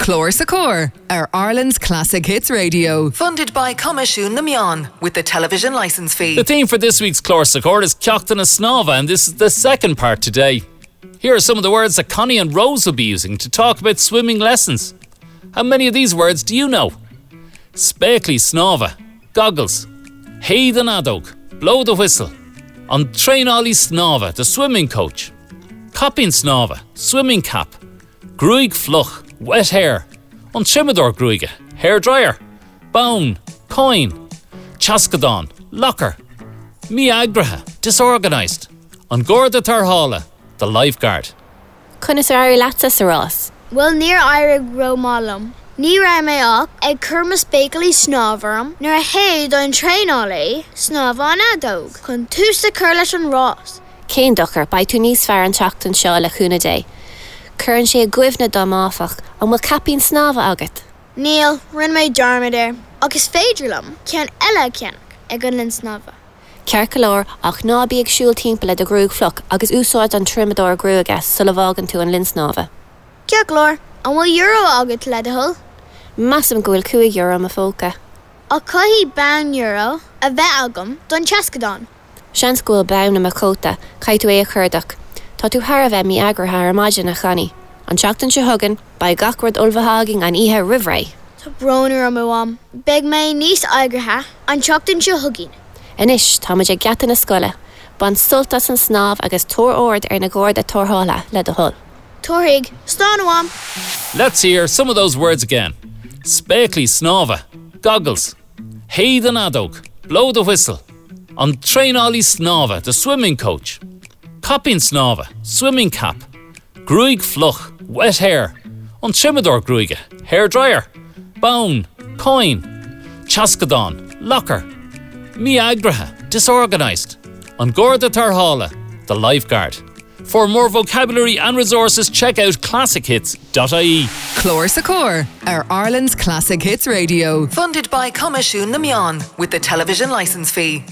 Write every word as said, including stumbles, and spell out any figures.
Clár sa Chór ar Ireland's Classic Hits Radio. Funded by Coimisiún na Meán with the television licence fee. The theme for this week's Clár sa Chór is Ceachtanna Snámha, and this is the second part today. Here are some of the words that Connie and Rose will be using to talk about swimming lessons. How many of these words do you know? Spéaclaí snámha, goggles, Séid an fheadóg, blow the whistle, An traenálaí snámha, the swimming coach, Caipín snámha, swimming cap, Gruaig fhliuch, wet hair, An triomadóir gruaige, hair dryer, Bonn, coin, Teascadán, locker, Mí-eagraithe, disorganised, An Garda Tarrthála, the lifeguard. Conas ar éirigh leatsa sa rás. Well níor éirigh rómhaith liom. Ní raibh mé ach ag cur mo spéaclaí snámha orm nuair a shéid an traenálaí snámha an fheadóg chun tús a chur leis an rás. Cén dochar beidh tú níos fearr an tseachtain seo le cúnamh Dé. Cuireann sé i gcuimhne dom áfach an bhfuil caipín snámha agat. Níl rinne mé dearmad air, agus féidir liom ceann eile a cheannach ag an linn snámha. Ceart go leor ach ná bí ag siúl timpeall le do ghruaig fhliuch agus úsáid an triomadóir gruaige sula bhfágann tú an linn snámha. Ceart go leor, an bhfuil euro agat le do thoil? Measaim go bhfuil cúig euro i mo phóca. Ach caithfidh bonn euro a bheith agam don teascadán. Seans go bhfuil bonn i mo chóta, caithfidh tú é a chuardach. Tá tú thar a bheith mí-eagraithe ar maidin a Chonnie. An tseachtain seo chugainn, beidh gach rud ullmhaithe againn an oíche roimh ré. Tá brón orm a Mham, beidh mé níos eagraithe an tseachtain seo chugainn. Anois táimid ag geata na scoile, Bain sult as an snámh agus tabhair aird ar na gardaí tarrthála le do thoil. Tabharfaidh, slán a Mham. Let's hear some of those words again. Spéaclaí snámha, goggles, Séid an fheadóg, blow the whistle, An traenálaí snámha, the swimming coach, Caipín snámha, swimming cap, Gruaig fhliuch, wet hair, An triomadóir gruaige, hair dryer, Bonn, coin, Teascadán, locker, Mí-eagraithe, disorganised, An Garda Tarrthála, the lifeguard. For more vocabulary and resources, check out classichits.ie. Clár sa Chór ar Ireland's Classic Hits Radio. Funded by Coimisiún na Meán with the television licence fee.